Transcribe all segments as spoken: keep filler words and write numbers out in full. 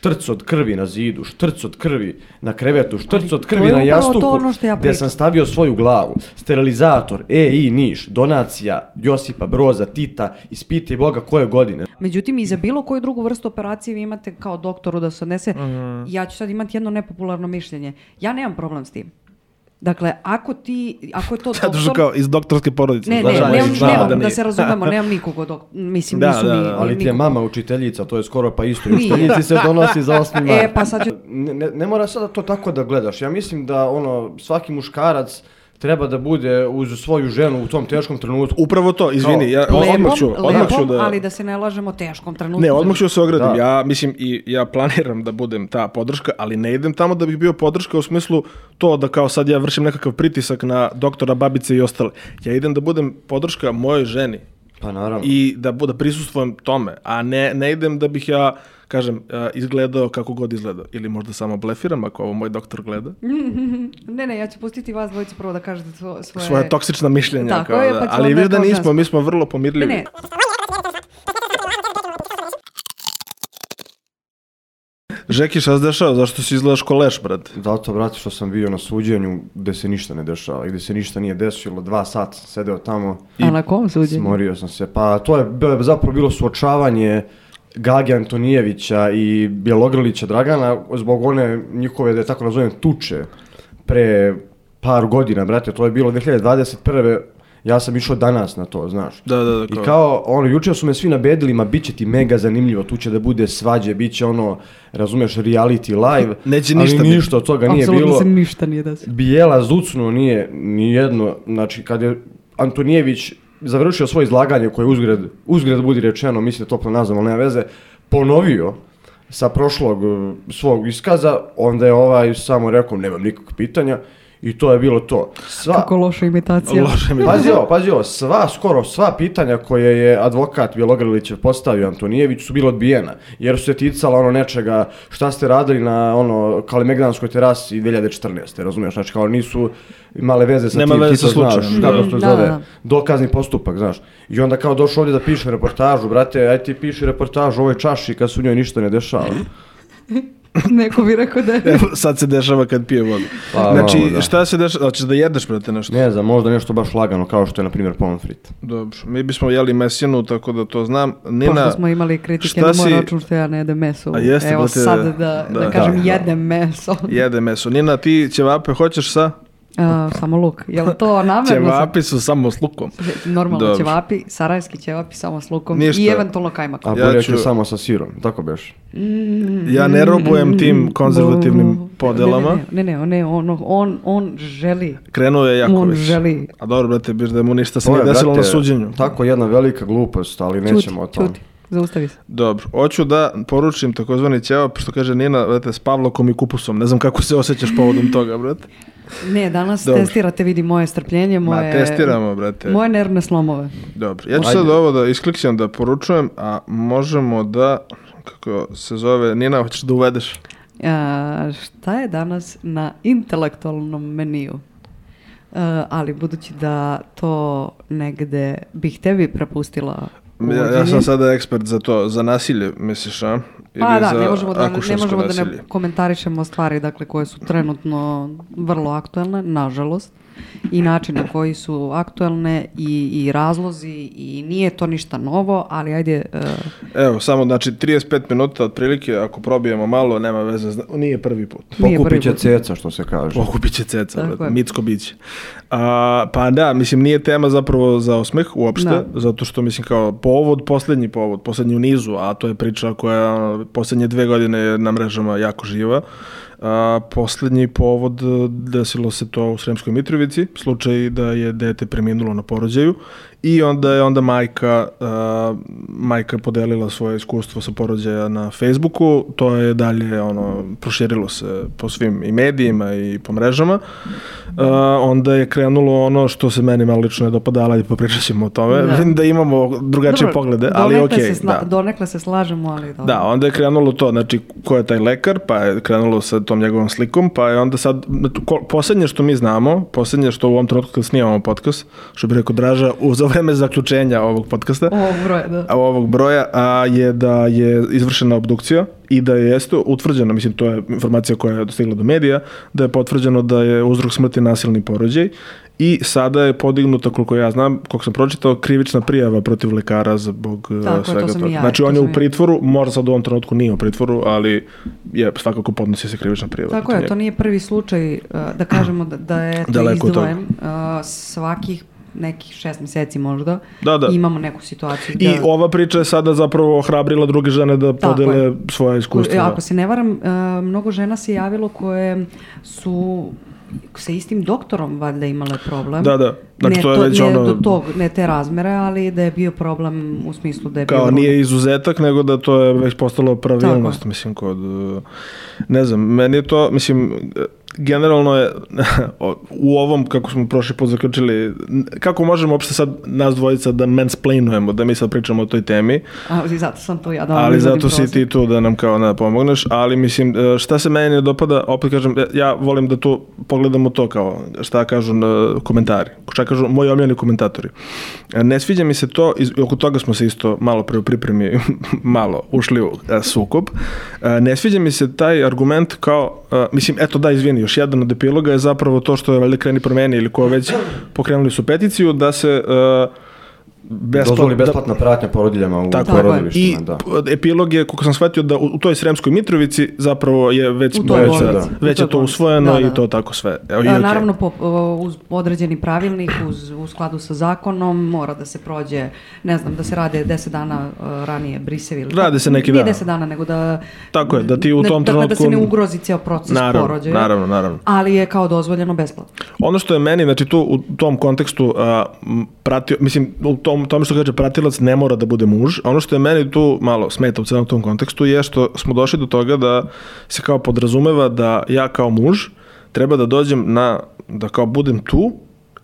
štrc od krvi na zidu, štrc od krvi na krevetu, štrc od krvi na jastuku, ono ja gdje sam stavio svoju glavu. Sterilizator, E I Niš, donacija Josipa Broza Tita, ispiti Boga koje godine. Međutim, i za bilo koju drugu vrstu operacije vi imate kao doktoru da se odnese. Mm. Ja ću sad imati jedno nepopularno mišljenje. Ja nemam problem s tim. Dakle, ako ti, ako je to doktor... Sad kao iz doktorske porodice. Ne, ne, nemam, nemam, da, da se razumemo, nemam nikogo dok... Mislim, da, nisu da, mi... Da, ali ti je mama učiteljica, to je skoro pa isto. Učiteljici se donosi za osmi mart. E, pa sad ću... Ne, ne, ne mora sada to tako da gledaš. Ja mislim da ono svaki muškarac treba da bude uz svoju ženu u tom teškom trenutku. Upravo to, izvini, ja odmah ću, odmah ću da... ali da se ne lažemo teškom trenutku. Ne, odmah ću se ogradim. Da. Ja mislim i ja planiram da budem ta podrška, ali ne idem tamo da bih bio podrška u smislu to da kao sad ja vršim nekakav pritisak na doktora, babice i ostale. Ja idem da budem podrška mojoj ženi. Pa naravno. I da, da prisustvujem tome, a ne, ne idem da bih ja, kažem, izgledao kako god izgledao. Ili možda samo blefiram ako ovo moj doktor gleda. ne, ne, ja ću pustiti vas dvojice prvo da kažete svoje... Svoje toksična mišljenja. Tako kao je, da. pa ću ali viš da nismo, žensku. Mi smo vrlo pomirljivi. Ne, ne. Žeki, šta se dešava? Zašto si izgledaš ko leš, brate? Zato, brate, što sam bio na suđenju gde se ništa ne dešava i gde se ništa nije desilo. Dva sata sam sedeo tamo. I a na kom suđenju? Smorio sam se. Pa to je zapravo bilo suočavanje Gage Antonijevića i Bjelogrlića Dragana zbog one njihove, da je tako nazovem, tuče pre par godina, brate. To je bilo dvije hiljade dvadeset prve. Ja sam išao danas na to, znaš. Da, da, da. Kao. I kao, ono, jučer su me svi nabedili, ma bit će ti mega zanimljivo, tu će da bude svađe, bit će ono, razumeš, reality live. Neće ništa. Ali ništa od toga nije bilo. Apsolutno se ništa nije da se. Bijela zucnuo nije ni jedno, znači kad je Antonijević završio svoje izlaganje koje uzgred, uzgred budi rečeno, mislim da toplo nazvam, ali nema veze, ponovio sa prošlog svog iskaza, onda je ovaj samo rekao, nemam nikakvog pitanja. I to je bilo to. Sva... Kako loša imitacija. Loša imitacija. Pazi ovo, pazi ovo, sva, skoro sva pitanja koje je advokat Bjelogrlić postavio Antonijević su bila odbijena, jer su se ticala ono nečega šta ste radili na ono Kalemegdanskoj terasi dvije hiljade četrnaeste. Razumiješ, znači kao nisu imale veze sa Nema tim, veze ti to znaš, slučajem. kako se to da, zove, da. dokazni postupak, znaš. I onda kao došao ovdje da piše reportažu, brate, aj ti piši reportažu o ovoj čaši kad se u njoj ništa ne dešava. Neko bi rekao da je... Evo, sad se dešava kad pije vodu. Pa, znači, malo, da. šta se dešava? Hoćeš da jedeš, brate, nešto? Ne znam, možda nešto baš lagano, kao što je, na primjer, pommes frites. Dobro, mi bismo jeli mesinu, tako da to znam. Nina, pošto smo imali kritike na moj si... račun što ja ne jedem meso. A jeste, Evo brate, sad da, da, da kažem da, jedem meso. Jede meso. Nina, ti ćevape hoćeš sa? Uh, samo luk. Je li to namerno? Ćevapi su samo s lukom. Normalno Dobro. ćevapi, sarajski ćevapi samo s lukom. Ništa. I eventualno kajmak. A Ja burek ću... je samo sa sirom, tako beš? Mm, ja ne robujem tim konzervativnim mm, podelama. Ne, ne, ne, ne, on, on, on želi. Krenuo je jako on već. želi. A dobro, brate, biš da mu ništa se To nije je, desilo brate, na suđenju. Tako jedna velika glupost, ali nećemo Čuti, o tom. čuti. Zaustavi se. Dobro, hoću da poručim takozvani ćevap, što kaže Nina, brate, s pavlokom i kupusom. Ne znam kako se osjećaš povodom toga, brate. Ne, danas Dobro. testirate, vidi moje strpljenje, moje... Ma, testiramo, brate. Moje nervne slomove. Dobro, ja ću Ajde. sad ovo da isklikćem da poručujem, a možemo da, kako se zove, Nina, hoćeš da uvedeš? A, šta je danas na intelektualnom meniju? A, ali budući da to negde bih tebi prepustila Ja, ja sam sada ekspert za to, za nasilje, misliš, a? Ili Pa da, za ne možemo da, ne, akušersko možemo da ne nasilje? komentarišemo stvari dakle, koje su trenutno vrlo aktuelne, nažalost. I način na koji su aktuelne i, i razlozi i nije to ništa novo, ali ajde... Uh... Evo, samo, znači, trideset pet minuta otprilike, ako probijemo malo, nema veze, zna... nije prvi put. Nije prvi Pokupit će put. ceca, što se kaže. Pokupit će ceca, Tako brate, je. mitsko biće. A, pa da, mislim, nije tema zapravo za osmeh uopšte, Da. zato što, mislim, kao povod, posljednji povod, posljednji u nizu, a to je priča koja ono, posljednje dve godine je na mrežama jako živa. A, posljednji povod, desilo se to u Sremskoj Mitrovici, slučaj da je dete preminulo na porođaju i onda je onda majka, a, majka podelila svoje iskustvo sa porođaja na Facebooku, to je dalje ono, proširilo se po svim i medijima i po mrežama. A, onda je krenulo ono što se meni malo lično ne dopadalo i popričat ćemo o tome, Da. da imamo drugačije Dobro, poglede, ali donekle okej. se sla- da. Donekle se slažemo, ali dobro. Da, onda je krenulo to, znači ko je taj lekar, pa je krenulo sa tom njegovom slikom, pa je onda sad, ko- posljednje što mi znamo, posljednje što u ovom trenutku kad snimamo podcast, što bi rekao Draža, uz ovaj vreme zaključenja ovog podcasta, Ovog broja, da. a ovog broja, a, je da je izvršena obdukcija i da je jeste utvrđeno, mislim, to je informacija koja je dostigla do medija, da je potvrđeno da je uzrok smrti nasilni porođaj i sada je podignuta, koliko ja znam, koliko sam pročitao, krivična prijava protiv lekara zbog Tako, svega to sam toga. i ja, Znači, to on je sam u i- pritvoru, možda sad u ovom trenutku nije u pritvoru, ali je svakako podnosi se krivična prijava. Tako protiv je, njega. to nije prvi slučaj, uh, da kažemo da, da je to Daleko od toga. izdvojen. Uh, svakih nekih šest mjeseci možda Da, da. imamo neku situaciju. I ova priča je sada zapravo ohrabrila druge žene da Tako podele je. svoje iskustva. Ako se ne varam, uh, mnogo žena se javilo koje su sa istim doktorom valjda imale problem. Da, da. Znači, ne, to je to, već ne, ono- do tog, ne te razmere, ali da je bio problem u smislu da je Kao bio... nije izuzetak, nego da to je već postalo pravilnost, Tako. mislim, kod... uh, Ne znam, meni je to, mislim, generalno je u ovom, kako smo prošli put zaključili, kako možemo uopšte sad nas dvojica da mansplainujemo, da mi sad pričamo o toj temi, Ali zato sam tu ja da vam ali izvodim zato si prostor. ti tu da nam kao da pomogneš, ali mislim, šta se meni ne dopada, opet kažem, ja volim da tu pogledamo to kao, šta kažu na komentari, šta kažu moji omiljeni komentatori. Ne sviđa mi se to, i oko toga smo se isto malo pre u pripremi malo ušli u a, sukob, a, ne sviđa mi se taj argument kao, a, mislim, eto da, izvini, još jedan od epiloga je zapravo to što je valjda Kreni promeni ili ko već pokrenuli su peticiju da se a, besplat- Dozvoli da- besplatna pratnja porodiljama u Tako je. I porodilištima, da. p- epilog je, kako sam shvatio, da u, u toj Sremskoj Mitrovici zapravo je već, U toj već, bolnici, da, u već toj je to bolnici. usvojeno Da, da. i to tako sve. Evo, i E, okej. Naravno, po, o, uz određeni pravilnik, uz, u skladu sa zakonom, mora da se prođe, ne znam, da se rade deset dana uh, ranije brisevi. ili Rade tako. se neki Nije dan. deset dana, nego da... Tako je, da ti u ne- tom dakle, da se trenutku- ne ugrozi cijel proces Naravno, porođaja. naravno, naravno. Ali je kao dozvoljeno besplatno. Ono što je meni, znači tu u tom kontekstu a, m, pratio, mislim, u tom, tome što kaže pratilac ne mora da bude muž, a ono što je meni tu malo smeta u celom tom kontekstu je što smo došli do toga da se kao podrazumeva da ja kao muž treba da dođem na, da kao budem tu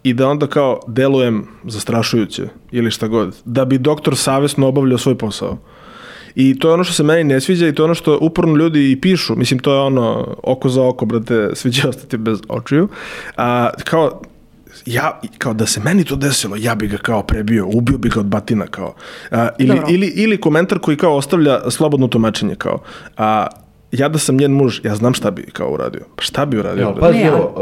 i da onda kao delujem zastrašujuće ili šta god, da bi doktor savjesno obavljao svoj posao. I to je ono što se meni ne sviđa i to je ono što uporno ljudi i pišu. Mislim, to je ono oko za oko, brate, svi će ostati bez očiju. A, kao, ja, kao da se meni to desilo, ja bi ga kao prebio, ubio bi ga od batina, kao. A, ili, Dobro. ili, ili komentar koji kao ostavlja slobodno tumačenje, kao. A, ja da sam njen muž, ja znam šta bi kao uradio. Pa šta bi uradio? Evo, brate? pazi, Ne, a- evo,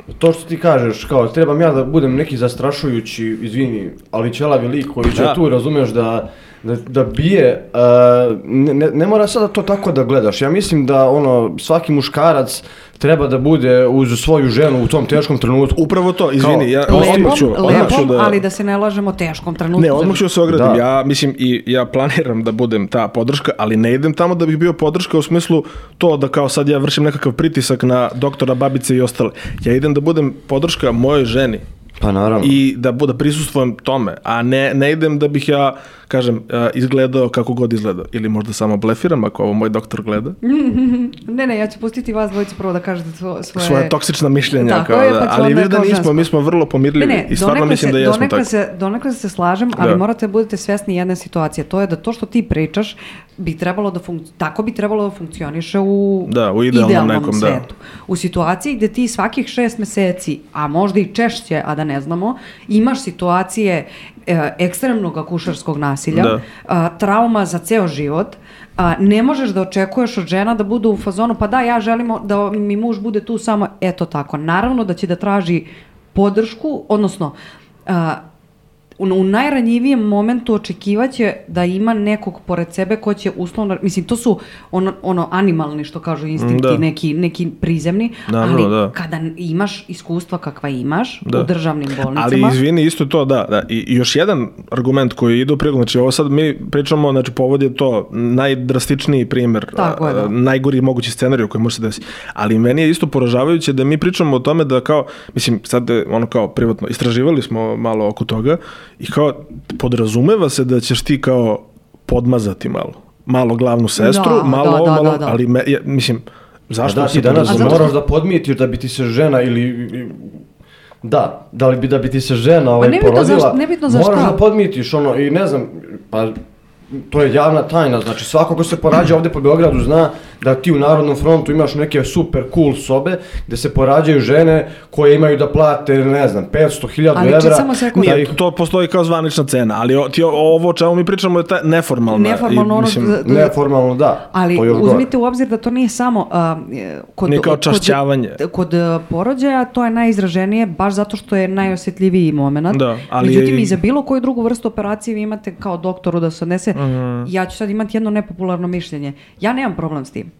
uh, to što ti kažeš, kao, trebam ja da budem neki zastrašujući, izvini, ali ćelavi lik koji će Da. tu, razumeš, da, da, da bije, uh, ne, ne, ne mora sada to tako da gledaš. Ja mislim da, ono, svaki muškarac treba da bude uz svoju ženu u tom teškom trenutku. Upravo to, izvini, ja Lepom, odmah ću, odmah ću lepom, da... ali da se ne lažemo teškom trenutku. Ne, odmah ću se ogradim. Da. Ja mislim i ja planiram da budem ta podrška, ali ne idem tamo da bih bio podrška u smislu to da kao sad ja vršim nekakav pritisak na doktora, babice i ostale. Ja idem da budem podrška mojoj ženi. Pa naravno. I da bude prisustvujem tome, a ne, ne idem da bih ja, kažem, uh, izgledao kako god izgledao. Ili možda samo blefiram ako ovo moj doktor gleda. Ne, ne, ja ću pustiti vas dvojicu prvo da kažete svo- svoje... Svoje toksična mišljenja. Tako kao je, da, pa ću ali onda viš da kao nismo, žensko. mi smo vrlo pomirljivi Ne, ne, i stvarno donekle mislim se, da jesmo donekle tako. se, donekle se slažem, ali Da. morate da budete svesni jedne situacije. To je da to što ti pričaš bi trebalo da funk... tako bi trebalo da funkcioniše u Da, u idealnom nekom, da. svetu. U situaciji gde ti svakih šest meseci, a možda i češće, a da ne znamo, imaš situacije e, ekstremnog akušerskog nasilja, Da. a, trauma za ceo život, a, ne možeš da očekuješ od žena da budu u fazonu, pa da, ja želim da mi muž bude tu samo, eto tako. Naravno da će da traži podršku, odnosno a, u, u najranjivijem momentu očekivaće da ima nekog pored sebe ko će uslovno, mislim, to su ono, ono animalni, što kažu instinkti, Da. neki, neki prizemni, Naravno, ali da. kada imaš iskustva kakva imaš Da. u državnim bolnicama, Ali izvini, isto to, da, da. I, i još jedan argument koji ide u prilog, znači ovo sad mi pričamo, znači povod je to najdrastičniji primjer, Tako je, da. a, najgori mogući scenarij koji može se desiti. Ali meni je isto poražavajuće da mi pričamo o tome da kao, mislim, sad je ono kao privatno, istraživali smo malo oko toga i kao podrazumeva se da ćeš ti kao podmazati malo. Malo glavnu sestru, Da, malo da, ovo, da, malo, da, da. ali me, ja, mislim, zašto Da, se ti danas podrazumeva? A zato moraš da podmitiš da bi ti se žena ili... Da, da li bi da bi ti se žena ovaj, nebitno porodila, za- nebitno za moraš šta. da podmitiš ono i ne znam, pa to je javna tajna, znači svako ko se porađa ovdje po Beogradu zna da ti u Narodnom frontu imaš neke super cool sobe gdje se porađaju žene koje imaju da plate, ne znam, petsto hiljada evra. Ali samo sekund. Nije, to postoji kao zvanična cena, ali o, ti, ovo o čemu mi pričamo je ta neformalna. Neformalno, i, ono, mislim, d- d- neformalno, da. Ali to još uzmite gore. u obzir da to nije samo uh, kod, Nije kao kod, čašćavanje. kod, kod uh, porođaja, to je najizraženije baš zato što je najosjetljiviji moment. Da, ali Međutim, je- i za bilo koju drugu vrstu operacije vi imate kao doktoru da se odnese. Mhm. Ja ću sad imati jedno nepopularno mišljenje. Ja nemam problem s tim.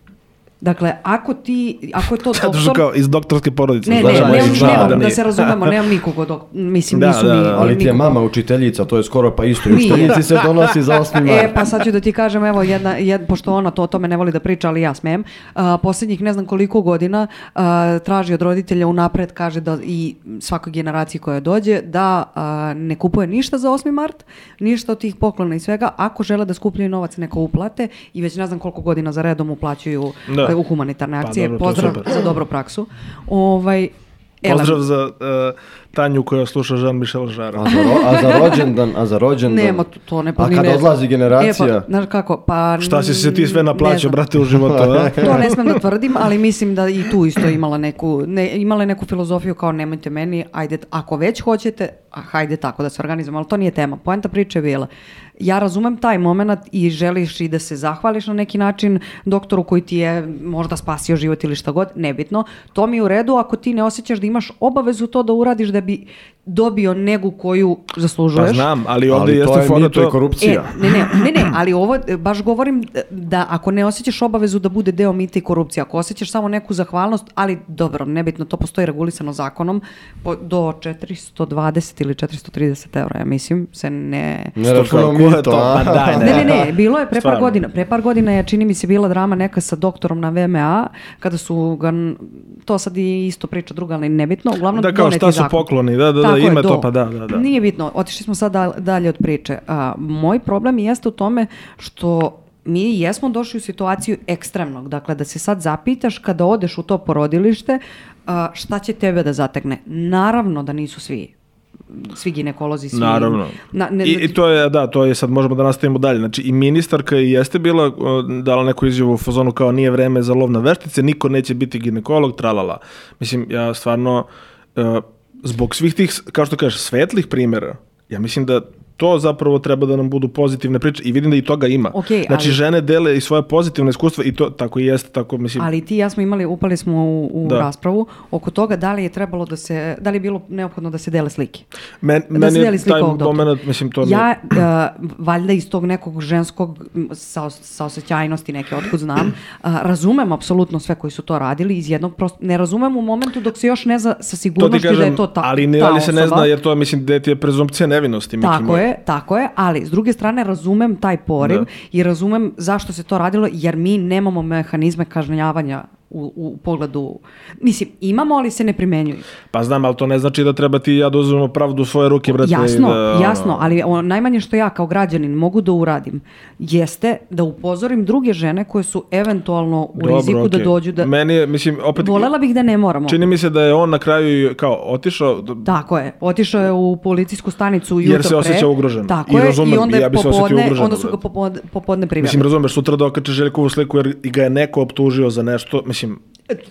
Dakle, ako ti, ako je to Zato što doktor... kao iz doktorske porodice. Ne, znaš, ne, moji nemam, zna nemam, da nije. se razumemo, nemam nikog dok, mislim, Da, nisu da, ni... da, Ali ti je nikog- mama učiteljica, to je skoro pa isto. Nije. Učiteljici se donosi za osmi mart. E, pa sad ću da ti kažem, evo, jedna, jed, pošto ona to o tome ne voli da priča, ali ja smem, uh, posljednjih ne znam koliko godina uh, traži od roditelja unapred, kaže da i svakoj generaciji koja dođe, da uh, ne kupuje ništa za osmi mart, ništa od tih poklona i svega, ako žele da skupljaju novac neka uplate i već ne znam koliko godina za redom uplaćuju Da. uh, u humanitarne akcije. dobro, to je Pozdrav super. za dobru praksu. Ovaj, Elem. Pozdrav za uh, Tanju koja sluša Jean-Michel Jarre. A za, ro, a za rođendan, a za rođendan. Nema, to, to ne A pominje. kad odlazi generacija. E, pa, znaš kako, pa... Šta si se ti sve ne naplaćao, znam. brate, u životu, da? To ne smem da tvrdim, ali mislim da i tu isto imala neku, ne, imala je neku filozofiju kao nemojte meni, ajde, ako već hoćete, a hajde tako da se organizujemo, ali to nije tema. Poenta priče je bila. Ja razumem taj moment i želiš i da se zahvališ na neki način doktoru koji ti je možda spasio život ili šta god, nebitno. To mi je u redu ako ti ne osjećaš da imaš obavezu to da uradiš da bi dobio negu koju zaslužuješ. Pa znam, ali ovdje Ali jeste to je fora mito i to... korupcija. E, ne, ne, ne, ne, ali ovo e, baš govorim da ako ne osjećaš obavezu da bude deo mita i korupcije, ako osjećaš samo neku zahvalnost, ali dobro, nebitno, to postoji regulisano zakonom, po, do četiristo dvadeset ili četiristo trideset evra, ja mislim, se ne... Ne računamo Ko je mito, to? a? Pa daj, Ne, ne, ne, bilo je pre par Stvarno. godina, pre par godina je, čini mi se, bila drama neka sa doktorom na V M A, kada su ga, to sad je isto priča druga, ali nebitno, uglavnom Da, kao doneti šta su zakon. pokloni, da, da, da, Tako je, ima do. to, pa da, da, da. Nije bitno, otišli smo sad dal- dalje od priče. A, moj problem jeste u tome što mi jesmo došli u situaciju ekstremnog, dakle da se sad zapitaš kada odeš u to porodilište, a, šta će tebe da zategne. Naravno da nisu svi svi ginekolozi, svi... Naravno. Na, ne, I, I to je, da, to je sad, možemo da nastavimo dalje. Znači, i ministarka i jeste bila, o, dala neku izjavu u fazonu kao nije vreme za lov na veštice, niko neće biti ginekolog, tralala. Mislim, ja stvarno, e, zbog svih tih, kao što kažeš, svetlih primjera, ja mislim da to zapravo treba da nam budu pozitivne priče i vidim da i toga ima. Okej, znači, ali- žene dele i svoje pozitivne iskustva i to tako i jeste, tako mislim... Ali ti i ja smo imali, upali smo u, u Da. raspravu oko toga da li je trebalo da se, da li je bilo neophodno da se dele slike. Men, Da meni se deli je slika taj ovog doktora. moment, mislim, to mi... Ja, uh, valjda iz tog nekog ženskog m, sa, saosećajnosti neke, otkud znam, uh, razumem apsolutno sve koji su to radili, iz jednog prosto, ne razumem u momentu dok se još ne zna sa To ti sigurnošću kažem, da je to ta, ali ne, ta ali se ne osoba. zna jer to, mislim, dete je prezumpcija nevinosti. Miki Tako moj. je, tako je, ali s druge strane razumem taj poriv Da. i razumem zašto se to radilo, jer mi nemamo mehanizme kažnjavanja u, u pogledu, mislim, imamo, ali se ne primenjuju. Pa znam, ali to ne znači da treba ti i ja da uzmemo pravdu u svoje ruke, brate. Jasno, i da, ono, jasno, ali ono, najmanje što ja kao građanin mogu da uradim jeste da upozorim druge žene koje su eventualno u Dobro, riziku da okej. dođu da... Meni je, mislim, opet... Volela bih da ne moramo. Čini mi se da je on na kraju kao otišao... Tako je, otišao je u policijsku stanicu jutro Jer se pre. osjećao ugroženo. Tako I je, razumem, i onda, i je ja bi se osjetio popodne, ugroženo, onda su ga brate. popodne, popodne priveli. Mislim, razumeš, sutra da okače Željkovu sliku jer i ga je neko optužio za nešto, mislim...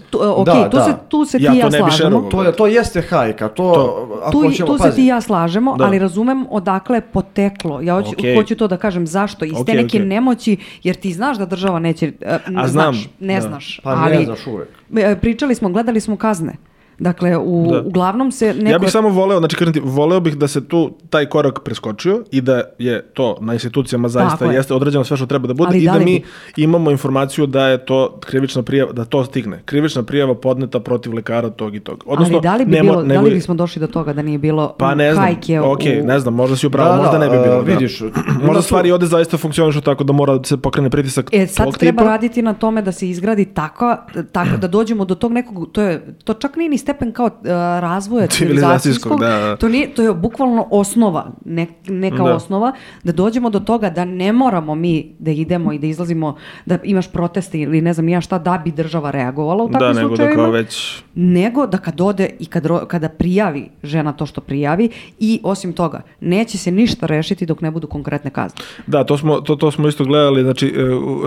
Tu, ok, Da, tu, da. Se, tu se Ja ti i to ja ne bi slažemo. šerovao. To, je, to jeste hajka, to, To. ako Tu, hoćemo, tu se pazi. ti i ja slažemo, Da. ali razumem odakle je poteklo. Ja hoću, Okej. hoću to da kažem zašto. Iz te Okej, neke okej. nemoći, jer ti znaš da država neće... e, A znam, znaš, ne da. znaš. Pa ali, ne znaš uvek. e, Pričali smo, gledali smo kazne. Dakle, u, Da. uglavnom se neko... Ja bih samo voleo, znači kažem ti, voleo bih da se tu taj korak preskočio i da je to na institucijama zaista Tako je. jeste određeno sve što treba da bude Ali i da da li mi bi- imamo informaciju da je to krivična prijava, da to stigne. Krivična prijava podneta protiv lekara tog i tog. Odnosno, ali da li, bi ne mo- bilo, ne da li bude- bismo došli do toga da nije bilo Pa ne znam, hajke ok, u... ne znam, možda si upravo, Da, da, možda ne bi bilo. a, da. vidiš, ima možda tu- stvari ovde zaista funkcionišu tako da mora da se pokrene pritisak E, sad tog treba tipa. raditi na tome da se izgradi tako, tako da dođemo do tog nekog, to, je, to čak nije ni stepen kao uh, razvoja civilizacijskog, da, da. To, nije, to je bukvalno osnova, ne, neka da. osnova, da dođemo do toga da ne moramo mi da idemo i da izlazimo, da imaš proteste ili ne znam ja šta, da bi država reagovala u takvim da, slučajevima. Da, nego da kao već... Nego da kad ode i kad, kada prijavi žena to što prijavi i osim toga, neće se ništa rešiti dok ne budu konkretne kazne. Da, to smo, to, to smo isto gledali, znači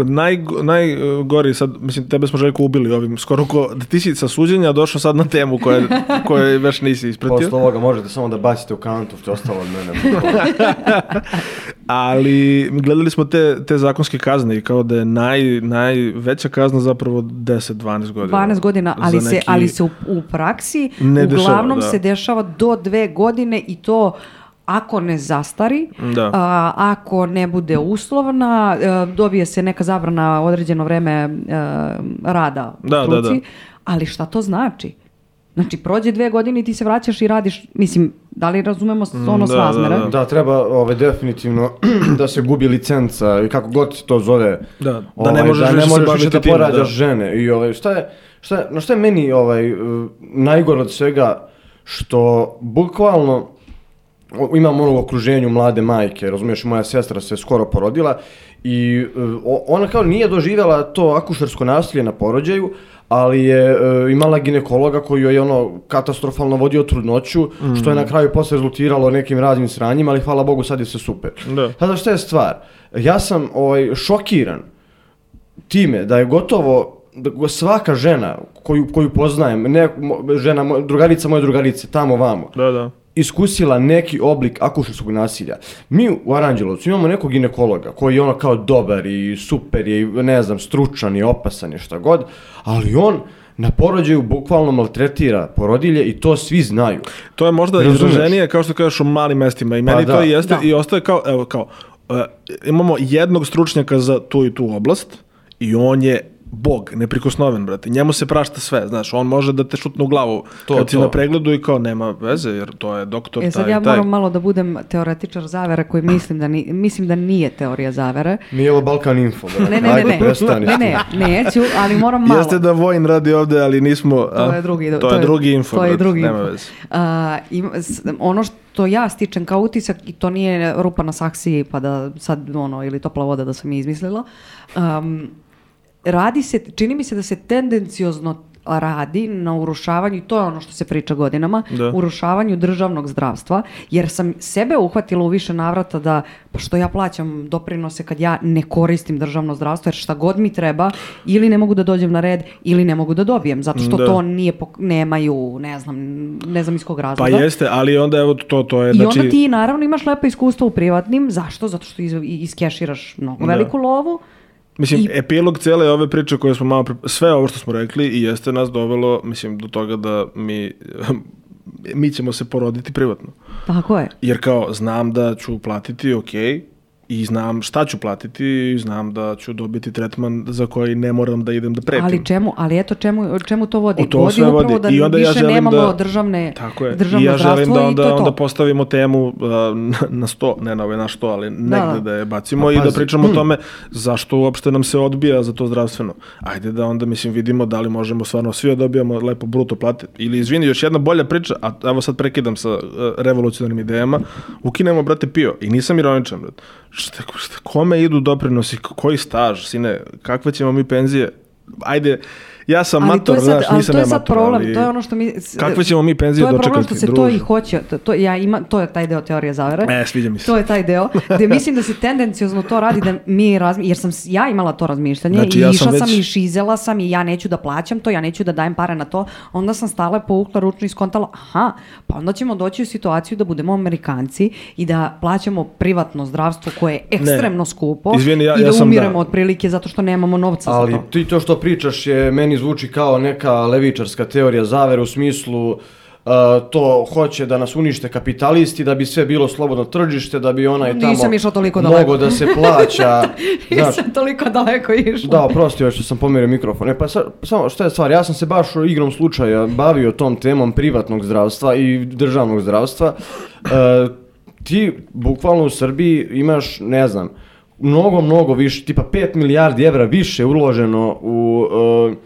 naj, najgori sad, mislim, tebe smo Željko ubili ovim, skoro ko, da ti si sa suđenja došao sad na temu koje, koje već nisi ispratio. Posle ovoga možete samo da bacite u kantu, što je ostalo od mene. Ali gledali smo te, te zakonske kazne i kao da je naj, najveća kazna zapravo deset do dvanaest godina. dvanaest godina, ali neki... se, ali se u, u praksi ne uglavnom dešava, se dešava do dve godine i to ako ne zastari, a, ako ne bude uslovna, a, dobije se neka zabrana određeno vreme a, rada u da, struci, da, da. ali šta to znači? Znači, prođe dve godine i ti se vraćaš i radiš, mislim, da li razumemo ono da, srazmere? Da, da. da, treba ovaj, definitivno da se gubi licenca i kako god se to zove. Da, da ovaj, ne možeš, da ne više, možeš se više da tim, porađaš da. žene. I ovaj, šta je, šta je, no šta je meni ovaj, najgore od svega, što bukvalno imam ono u okruženju mlade majke, razumiješ, moja sestra se skoro porodila i uh, ona kao nije doživjela to akušersko nasilje na porođaju, ali je uh, imala ginekologa koji joj je ono katastrofalno vodio trudnoću, mm. što je na kraju posle rezultiralo nekim raznim sranjima, ali hvala Bogu sad je sve super. Da. Sada šta je stvar? Ja sam ovaj, šokiran time da je gotovo da svaka žena koju, koju poznajem, ne, žena, drugarica moje drugarice, tamo vamo, da, da. iskusila neki oblik akušerskog nasilja. Mi u Aranđelovcu imamo nekog ginekologa koji je ono kao dobar i super je, ne znam, stručan i opasan je šta god, ali on na porođaju bukvalno maltretira porodilje i to svi znaju. To je možda izraženije, kao što kažeš, u malim mestima i meni pa to da. jeste da. I ostaje kao, evo, kao, uh, imamo jednog stručnjaka za tu i tu oblast i on je Bog, neprikosnoven, brate. Njemu se prašta sve, znaš, on može da te šutne u glavu to, kad si na pregledu i kao nema veze, jer to je doktor taj i taj. E sad ja moram malo da budem teoretičar zavere koji mislim da, ni, mislim da nije teorija zavere. Nije ovo Balkan Info, brate. Ne, ne, ne, ne, ne, ne, neću, ali moram malo. Jeste da Vojin radi ovde, ali nismo... To je drugi, to, to je drugi info, to je drugi nema info. veze. Uh, ima, ono što ja stičem kao utisak, i to nije rupa na saksiji, pa da sad, ono, ili topla voda da sam je izmislila, um, radi se, čini mi se da se tendenciozno radi na urušavanju, i to je ono što se priča godinama, da. urušavanju državnog zdravstva, jer sam sebe uhvatila u više navrata da, pa što ja plaćam doprinose kad ja ne koristim državno zdravstvo, jer šta god mi treba, ili ne mogu da dođem na red, ili ne mogu da dobijem, zato što da. to nije, nemaju, ne znam, ne znam iz kog razloga. Pa jeste, ali onda evo to, to je, I znači... onda ti naravno imaš lepo iskustvo u privatnim, zašto? Zato što iz, iskeširaš mnogo da. veliku lovu. Mislim, I... epilog cijele ove priče koje smo malo... Pre... Sve ovo što smo rekli i jeste nas dovelo, mislim, do toga da mi... mi ćemo se poroditi privatno. Tako je. Jer kao, znam da ću platiti, okej, i znam šta ću platiti i znam da ću dobiti tretman za koji ne moram da idem da pretim. Ali čemu, ali eto čemu, čemu to vodi? To vodi upravo vodi. da I onda više ja nemamo da, državne, tako je. državno I ja želim da onda, i to je to. onda postavimo temu uh, na sto, ne na ove na što, ali negde da, da je bacimo pa, i da pričamo hmm. o tome zašto uopšte nam se odbija za to zdravstveno. Ajde da onda, mislim, vidimo da li možemo stvarno svi dobijamo lepo bruto plate. Ili, izvini, još jedna bolja priča, a evo sad prekidam sa uh, revolucionarnim idejama, ukinemo, brate, pio. I nisam ironičan, brate. Šta, šta, kome idu doprinosi, koji staž, sine, kakve ćemo mi penzije? Ajde, ja sam mator, znaš, nisam ja mator, problem, ali to je ono što mi, kakve ćemo mi penzije dočekati, to je problem što se druže. to i hoće, to, to, ja ima, to je taj deo teorije zavere, e, sviđa mi se. To je taj deo, gdje mislim da se tendenciozno to radi, da mi razmi, jer sam ja imala to razmišljanje, znači, i ja išla sam, već... sam i šizela sam i ja neću da plaćam to, ja neću da dajem pare na to, onda sam stala povukla ručno i skontala, aha, pa onda ćemo doći u situaciju da budemo Amerikanci i da plaćamo privatno zdravstvo koje je ekstremno ne. skupo. Izvini, ja, i da ja umiremo da... otprilike zato što nemamo novca ali za to. Ali ti to što pričaš je meni zvuči kao neka levičarska teorija zavere u smislu uh, to hoće da nas unište kapitalisti, da bi sve bilo slobodno tržište, da bi onaj tamo mogo da se plaća. Nisam znaš, toliko daleko išla. Da, oprosti što sam pomerio mikrofon. E pa sa, samo šta je stvar, ja sam se baš igrom slučaja bavio tom temom privatnog zdravstva i državnog zdravstva. Uh, ti bukvalno u Srbiji imaš, ne znam, mnogo, mnogo više, tipa pet milijardi evra više uloženo u... Uh,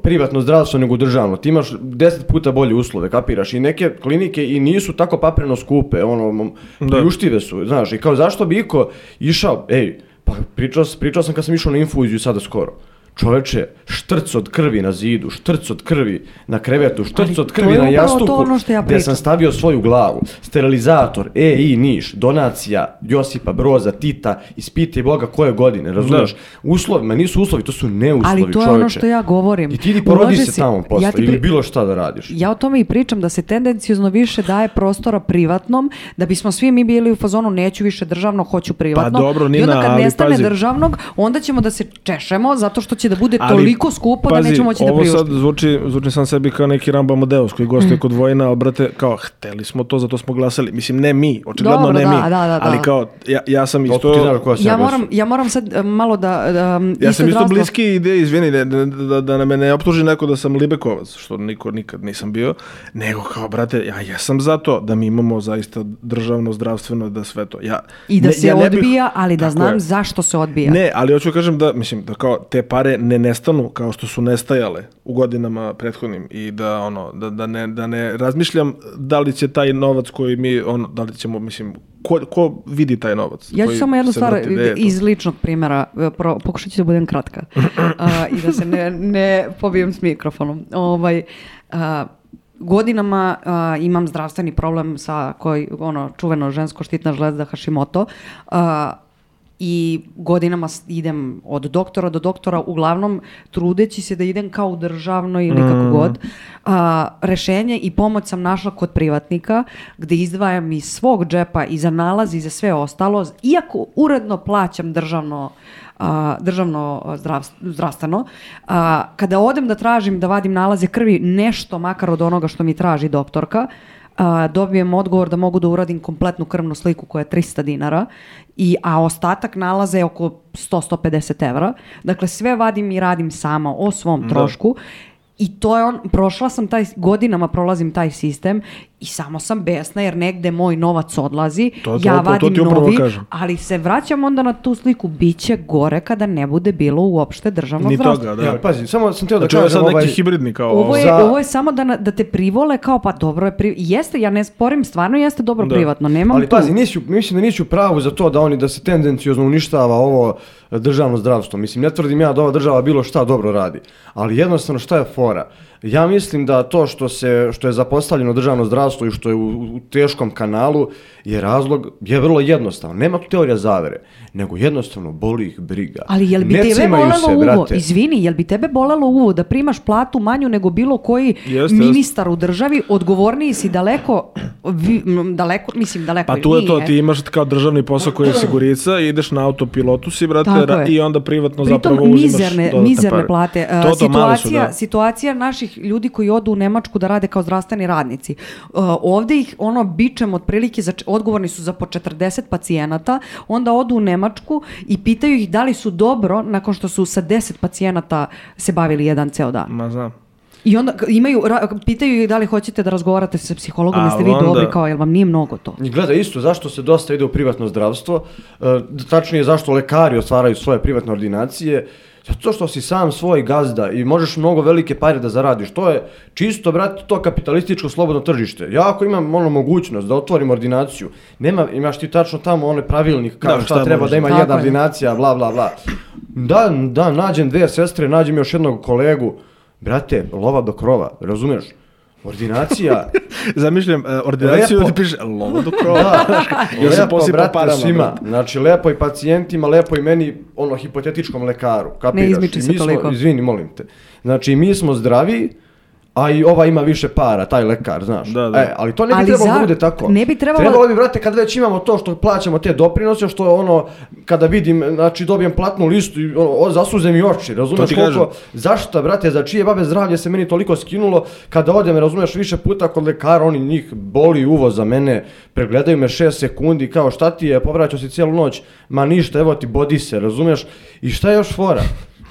privatno zdravstvo nego državno. Ti imaš deset puta bolje uslove, kapiraš, i neke klinike i nisu tako papreno skupe, ono, priuštive su, znaš, i kao zašto bi iko išao, ej, pa pričao, pričao sam kad sam išao na infuziju sada skoro. Čoveče, štrc od krvi na zidu, štrc od krvi na krevetu, štrc od krvi na jastuku, ono ja gdje sam stavio svoju glavu, sterilizator, E I Niš, donacija Josipa Broza, Tita, ispiti Boga koje godine, razumiješ? Uslovi, ma nisu uslovi, to su neuslovi, čoveče. Ali to je čoveče. Ono što ja govorim. I ti ni porodi se tamo posle, ja pri... ili bilo šta da radiš. Ja o tome i pričam, da se tendencijozno više daje prostora privatnom, da bismo svi mi bili u fazonu neću više državno, hoću privatno. Pa dobro, Nina, i onda kad ali nestane pazi. državnog, onda ćemo da se češemo zato što će da bude ali, toliko skupo pazi, da nećemo moći da priuštimo. Ovo sad zvuči, zvuči sam sebi kao neki Rambo Amadeus koji gostuje mm. kod Vojina, a brate, kao, hteli smo to, zato smo glasali. Mislim, ne mi, očigledno Dobro, ne da, mi, da, da, ali da. kao, ja, ja sam isto... Ja moram, ja moram sad malo da... da ja sam isto bliski ideje, izvini, da, da, da na mene ne optuži neko da sam Libekovac, što niko nikad nisam bio, nego kao, brate, ja jesam za to da mi imamo zaista državno, zdravstveno, da sve to. Ja, I da ne, se ja odbija, bih, ali da znam je. zašto se odbija. Ne, ali hoću kažem da, mislim, da kao te pare ne nestanu kao što su nestajale u godinama prethodnim i da ono da, da ne da ne razmišljam da li će taj novac koji mi ono da li ćemo mislim ko, ko vidi taj novac. Ja ću samo jednu stvar iz ličnog primjera, pro, pokušat ću da budem kratka a, i da se ne, ne pobijem s mikrofonom. Ovaj, a, godinama a, imam zdravstveni problem sa koji ono čuveno žensko štitna žlezda Hashimoto. A, I godinama idem od doktora do doktora, uglavnom trudeći se da idem kao u državno ili kako mm. god. A, rešenje i pomoć sam našla kod privatnika, gde izdvajam iz svog džepa i za nalazi i za sve ostalo, iako uredno plaćam državno, a, državno zdravstveno, zdravstveno. A, kada odem da tražim da vadim nalaze krvi, nešto makar od onoga što mi traži doktorka, Uh, dobijem odgovor da mogu da uradim kompletnu krvnu sliku koja je tristo dinara, i, a ostatak nalaza je oko sto do sto pedeset evra. Dakle, sve vadim i radim sama o svom trošku. I to je on, prošla sam taj, godinama prolazim taj sistem i samo sam besna jer negde moj novac odlazi, to, to, ja to, vadim to novi, kažem. Ali se vraćam onda na tu sliku, bit će gore kada ne bude bilo uopšte državno Ni zdravstvo. Toga, da. Ja, pazi, samo sam teo da znači, kažem sad ovaj... neki hibridni kao... Ovo je, za... ovo je samo da, da te privole kao pa dobro je, pri... jeste, ja ne sporim, stvarno jeste dobro da. Privatno, nemam ali tu. pazi, nisu, mislim da nisu pravu za to da oni da se tendencijozno uništava ovo državno zdravstvo. Mislim, ne tvrdim ja da ova država bilo šta dobro radi, ali jednostavno šta je fora? Ja mislim da to što se što je zapostavljeno državno zdravstvo i što je u, u teškom kanalu je razlog, je vrlo jednostavan. Nema tu teorija zavere, nego jednostavno boli ih briga. Ali jel bi ne tebe bolelo se, uvo? brate. Izvini, jel bi tebe bolelo uvo da primaš platu manju nego bilo koji Jeste, ministar u državi, odgovorniji si daleko, vi, daleko, mislim daleko. Pa tu je to, nije. ti imaš kao državni posao koji je sigurica, ideš na autopilotu si, brate, ra- i onda privatno pritom zapravo uzimaš mizerne, dodatne mizerne pare. plate. To, to situacija, su, da. situacija naših ljudi koji odu u Nemačku da rade kao zdravstveni radnici. Uh, ovdje ih ono bičem otprilike, za, odgovorni su za po četrdeset pacijenata, onda odu u Nemačku i pitaju ih da li su dobro nakon što su sa deset pacijenata se bavili jedan ceo dan. Ma znam. I onda imaju, pitaju ih da li hoćete da razgovarate sa psihologom, jeste vi onda... dobri, kao jel vam nije mnogo to. I gleda isto, zašto se dosta ide u privatno zdravstvo, e, tačnije zašto lekari otvaraju svoje privatne ordinacije, zato što si sam svoj gazda i možeš mnogo velike pare da zaradiš. To je čisto, brate, to kapitalističko slobodno tržište. Ja ako imam ono mogućnost da otvorim ordinaciju, nema, imaš ti tačno tamo one pravilnik kao da, šta, šta treba može. da ima Tako jedna je. ordinacija, bla, bla, bla. Da, da, nađem dve sestre, nađem još jednog kolegu. Brate, lova do krova, razumiješ? Ordinacija... Zamišljam, uh, ordinaciju lepo. ti piše lova do krova. Da, Još se lepo, posipa brate, parama, svima. brate. Znači, lepo i pacijentima, lepo i meni, ono, hipotetičkom lekaru. Kapiraš? Ne izmiči I se mi smo, toliko. izvini, molim te. Znači, mi smo zdravi, a i ova ima više para, taj lekar, znaš. Da, da. E, ali to ne bi Ali trebalo za- da bude tako. ne bi trebalo- Trebalo bi, brate, kad već imamo to što plaćamo te doprinose, što je ono, kada vidim, znači dobijem platnu listu i ono, o, zasuze mi oči, razumeš ti koliko, kažem. zašto, brate, za čije babe zdravlje se meni toliko skinulo, kada odem, razumeš, više puta kod lekara, oni njih boli uvo za mene, pregledaju me šest sekundi, kao šta ti je, povraćao si cijelu noć, ma ništa, evo ti bodi se, razumeš, i šta je još fora?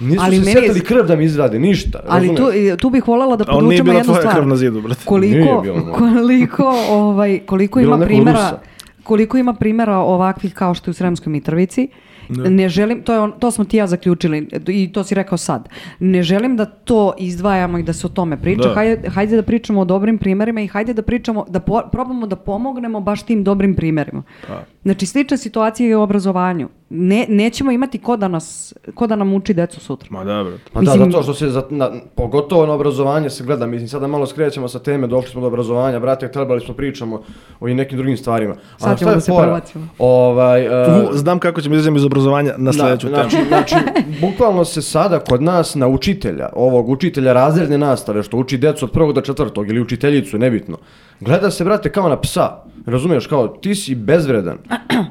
Nisu Ali se meni je- setili krv da mi izrade, ništa, Ali razumeš? tu, tu bih voljela da A on nije podvučemo bila jednu tvoja stvar. krv na zidu, brate. Nije Koliko, bilo moje. koliko, ovaj, koliko Bilo ima nekog primjera, Rusa. koliko ima primjera ovakvih kao što je u Sremskoj Mitrovici Ne. ne želim, to, je on, to smo ti ja zaključili i to si rekao sad. Ne želim da to izdvajamo i da se o tome priča. Da. Hajde, hajde da pričamo o dobrim primjerima i hajde da pričamo, da po, probamo da pomognemo baš tim dobrim primjerima. Pa. Znači, slična situacija je u obrazovanju. Ne, nećemo imati ko da, nas, ko da nam uči decu sutra. Ma dobro. Pa da, zato što se, za, na, pogotovo na obrazovanje se gleda, mislim, sada malo skrećemo sa teme, došli smo do obrazovanja, brate, trebali smo pričamo o i nekim drugim stvarima. Sad ćemo da se provacimo. Ovaj, uh, Znam kako ćemo izađemo iz obrazovanja na sljedeću temu. Znači, znači, bukvalno se sada kod nas na učitelja, ovog učitelja razredne nastave, što uči decu od prvog do četvrtog, ili učiteljicu, nebitno, gleda se, brate, kao na psa. Razumiješ, kao, ti si bezvredan.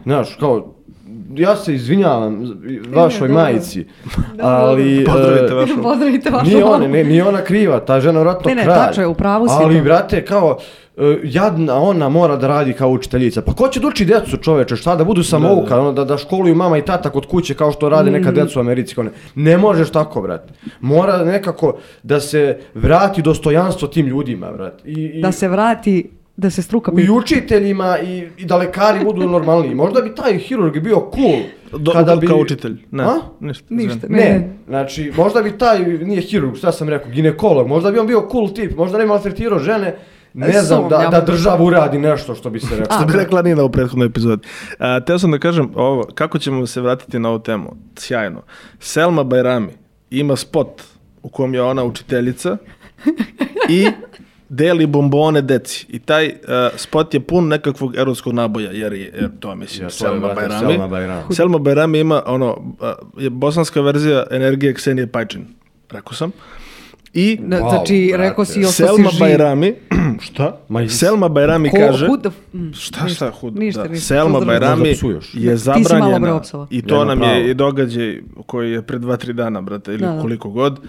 Znaš, kao, ja se izvinjavam vašoj majici, ali... Pozdravite vašu. Pozdravite vašu. Nije ona, ne, nije ona kriva, ta žena vratno kralj. Ne, ne, tačno je, u pravu si. Ali, brate, kao, jadna ona mora da radi kao učiteljica. Pa ko će da uči decu, čoveče, šta da budu samouka, da, da. Da, da školuju mama i tata kod kuće kao što rade neka deca u Americi. Ne, ne možeš tako, brate. Mora nekako da se vrati dostojanstvo tim ljudima, brate. I, i... Da se vrati... Da se struka pita. I učiteljima i, i da lekari budu normalniji. Možda bi taj hirurg bio cool. Do, kada bi... Kao učitelj. Ne, A? ništa. Ništa. Ne. ne, znači možda bi taj, nije hirurg, šta sam rekao, ginekolog, možda bi on bio cool tip, možda ne maltretirao žene, ne znam, da, da država uradi nešto što bi se rekao. Što bi rekla Nina u prethodnoj epizodi. A, teo sam da kažem ovo, kako ćemo se vratiti na ovu temu? Sjajno. Selma Bajrami ima spot u kojem je ona učiteljica i deli bombone deci. I taj uh, spot je pun nekakvog erotskog naboja, jer je, jer to je, mislim, ja, Selma Bajrami. Selma Bajrami. Selma Bajrami ima, ono, uh, je bosanska verzija energije Ksenije Pajčin. Rekao sam. I, wow, znači, rekao si ostao si Selma živ. Bajrami, šta? Ma, Selma Bajrami Ko, kaže... Huda, šta, šta, huda? Ništa, da. ništa. Selma Bajrami je zabranjena. I to nam pravo. je i događaj koji je pre dva, tri dana, brate, ili da, koliko god.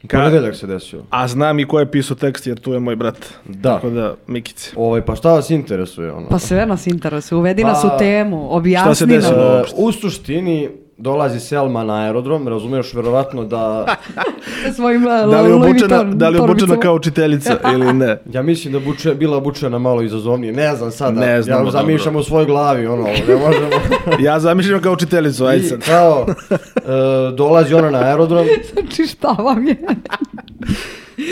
Ka... Ponedeljak se desio. A znam i ko je pisao tekst, jer tu je moj brat. Da. Tako da, Mikice. Ovaj, pa šta vas interesuje? Ono? Pa sve nas interesuje. Uvedi pa, nas u temu. Objasni šta se desilo? Uh, u suštini dolazi Selma na aerodrom, razumiješ verovatno da... svojim da li je obučena, da li je obučena kao učiteljica ili ne? Ja mislim da buče, bila obučena malo izazovnije. Ne znam sada. Ne znam, ja zamišljam u svojoj glavi. Ono, ne možemo... ja zamišljam kao učiteljicu, ajde sad. I, kao, uh, dolazi ona na aerodrom. Znači šta vam je?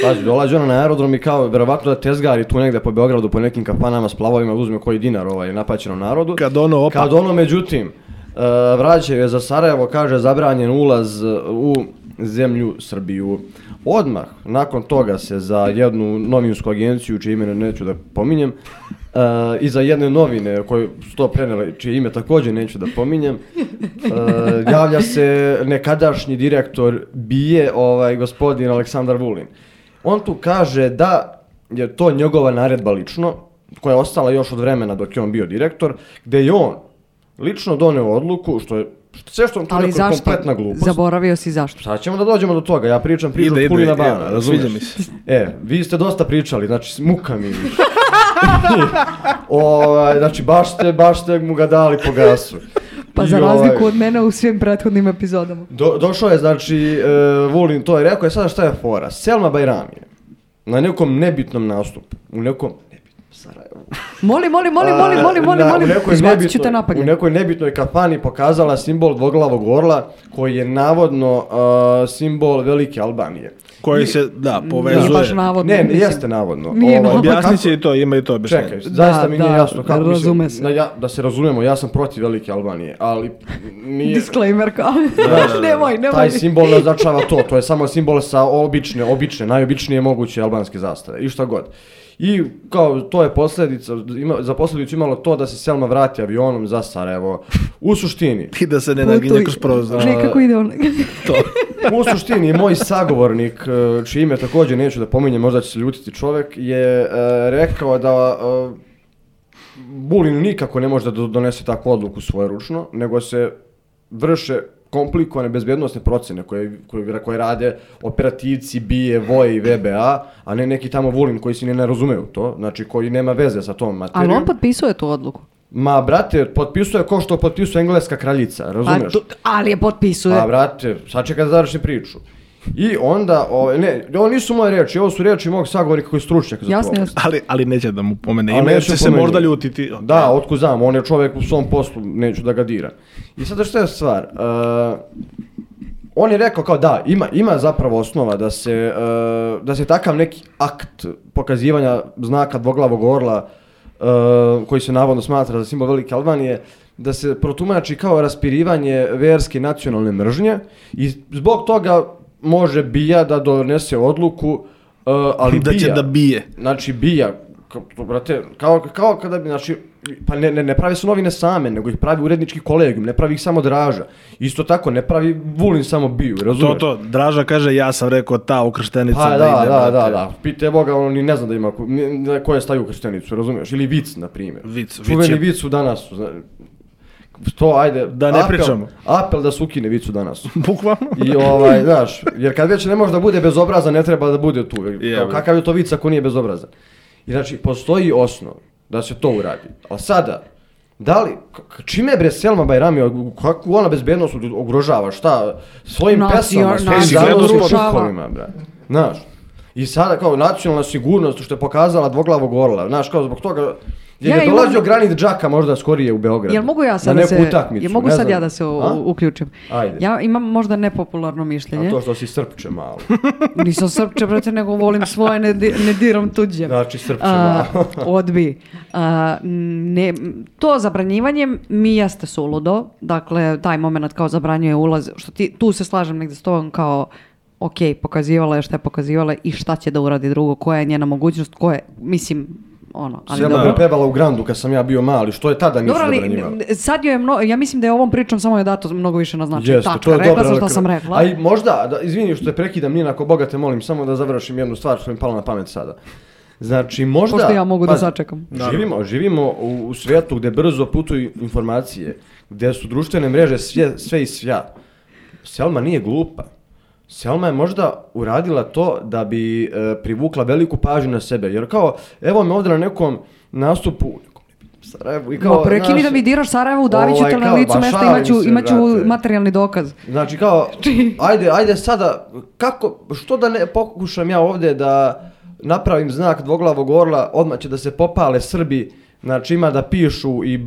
Pazi, dolazi ona na aerodrom i kao, verovatno da tezgari tu negde po Beogradu, po nekim kafanama s plavovima, uzme koji dinar ovaj, napaćenom narodu. Kad ono opa. Kad ono, međutim, uh, vraćaju je za Sarajevo, kaže, zabranjen ulaz u zemlju Srbiju. Odmah, nakon toga se za jednu novinsku agenciju, čije ime neću da pominjem, uh, i za jedne novine koje su to prenele, čije ime također neću da pominjem, uh, javlja se nekadašnji direktor BIA, ovaj, gospodin Aleksandar Vulin. On tu kaže da je to njegova naredba lično, koja je ostala još od vremena dok je on bio direktor, gde je on lično doneo odluku, što je sve što on tu rekao je kompletna glupost. Zaboravio si zašto? Sad ćemo da dođemo do toga, ja pričam priču od Kulina Bana, razumiješ? Mi se. E, vi ste dosta pričali, znači muka mi više. o, znači baš ste, baš ste mu ga dali po gasu. Pa I za razliku ovaj, od mene u svim prethodnim epizodama. Do, došao je, znači, uh, Vulin to je rekao, je sada šta je fora? Selma Bajrami je na nekom nebitnom nastupu, u nekom nebitnom Sarajevu. Moli, moli, moli, moli, moli, moli, moli, izbacit ću te napadnje. U nekoj nebitnoj kafani pokazala simbol dvoglavog orla, koji je navodno uh, simbol Velike Albanije. Koji I, se, da, povezuje. Nije baš navodno. Ne, ne jeste navodno. Nije ovaj, objasnit će i to, ima i to objašnjenje. Čekaj, zaista da, mi nije da, jasno kako razume mislim, se. Da, ja, da se razumemo, ja sam protiv Velike Albanije, ali nije... Disclaimer kao, nemoj, nemoj. Taj simbol ne označava to, to je samo simbol sa obične, obične, najobičnije moguće albanske zastave i šta god. I kao to je posljedica, ima, za posljedicu imalo to da se Selma vrati avionom za Sarajevo. U suštini... I da se ne naginje kroz prozor. Nekako ide on. To. U suštini, moj sagovornik, čije ime također neću da pominjem, možda će se ljutiti čovjek, je uh, rekao da uh, Vulin nikako ne može da donese takvu odluku svojeručno, nego se vrše komplikovane bezbjednosne procene koje, koje, koje rade operativci BIA, VOE i V B A, a ne neki tamo Vulin koji si ne, ne razumeju to, znači koji nema veze sa tom materijom. Ali on potpisuje tu odluku? Ma, brate, potpisuje ko što potpisuje engleska kraljica, razumeš? A, tu, ali je potpisuje. Pa, brate, sad čekaj da završim priču. I onda, o, ne, ovo nisu moje riječi, ovo su riječi mog sagovornika koji je stručnjak za Jasne, to. jasne. Ali, ali neće da mu pomene Ali ime, jer neće će se pomeni. možda ljutiti. Okay. Da, otkud znam, on je čovjek u svom poslu, neću da ga diram. I sada što je stvar, uh, on je rekao kao da, ima, ima zapravo osnova da se, uh, da se takav neki akt pokazivanja znaka dvoglavog orla, uh, koji se navodno smatra za simbol Velike Albanije, da se protumači kao raspirivanje verske nacionalne mržnje i zbog toga može bija da donese odluku, uh, ali da će bija, da bije. znači bija, kao, brate, kao, kao kada bi, znači, pa ne, ne, ne pravi su novine same, nego ih pravi urednički kolegijum, ne pravi ih samo Draža. Isto tako, ne pravi Vulin samo biju, razumiješ? To, to, Draža kaže, ja sam rekao ta ukrštenica Pa da, da ide. da, brate. da, da, pite Boga, ono ni ne zna da ima, ko- ni- ko je stavio krštenicu, razumiješ? Ili vic, na primjer. Vic, vic Čuveni je- vic u danas. To, ajde, Da ne apel, pričamo. apel da se ukine vic u danas. Bukvalno. I ovaj, znaš, jer kad već ne može da bude bezobrazan, ne treba da bude tu. Kao, Jebe. kakav je to vic ako nije bezobrazan? I znači, postoji osnov da se to uradi. Ali sada, da li, k- čime bre Selma Bajrami, kakvu ona bezbednost ugrožava, šta, svojim Nacio- pesama, svojim nacionalno zanosima urušava. duhovima, brate. Znaš, i sada kao nacionalna sigurnost što je pokazala dvoglavog orla, znaš, kao zbog toga je Ja ne imam- dolazio Granit Džaka možda skorije u Beograd. Jel mogu ja sad na da neku se, utakmicu, jel mogu ne sad znam. ja da se u- A? uključim? Ajde. Ja imam možda nepopularno mišljenje. A to što si srpče malo. Nisam srpče, brate, nego volim svoje, ne, di- ne diram tuđe. Znači srpče A, malo. odbi. A, ne, to zabranjivanje mi jeste suludo, dakle taj moment kao zabranjuje ulaz, što ti, tu se slažem negdje s tobom kao ok, pokazivala je šta je pokazivala i šta će da uradi drugo, koja je njena mogućnost, ko je, mislim, ono, ali Selma dobro. je pevala u Grandu kad sam ja bio mali, što je tada nisu Dobro, ali zabranjivali. n- sad joj je mno, ja mislim da je ovom pričom samo je dato mnogo više na značaj. Jeste, Tačka, to je rekla dobra sam šta rekla. sam rekla. A i možda, da, izvini što te prekidam, Nina, ako Boga te molim, samo da završim jednu stvar što mi je pala na pamet sada. Znači, možda... Pošto ja mogu da pazi, sačekam. Živimo, živimo u, u svijetu gdje brzo putuju informacije, gdje su društvene mreže sve, sve i svja. Selma nije glupa. Selma je možda uradila to da bi e, privukla veliku pažnju na sebe. Jer kao, evo me ovdje na nekom nastupu u nekom Sarajevu i kao... Ma prekini znaš, da mi diraš Sarajevo u Daviću, ovaj, te na kao, licu ba, mesta šalim imaću, se, imaću brate. materijalni dokaz. Znači kao, ajde, ajde sada, kako, što da ne pokušam ja ovdje da napravim znak dvoglavog orla, odmah će da se popale Srbi, znači ima da pišu i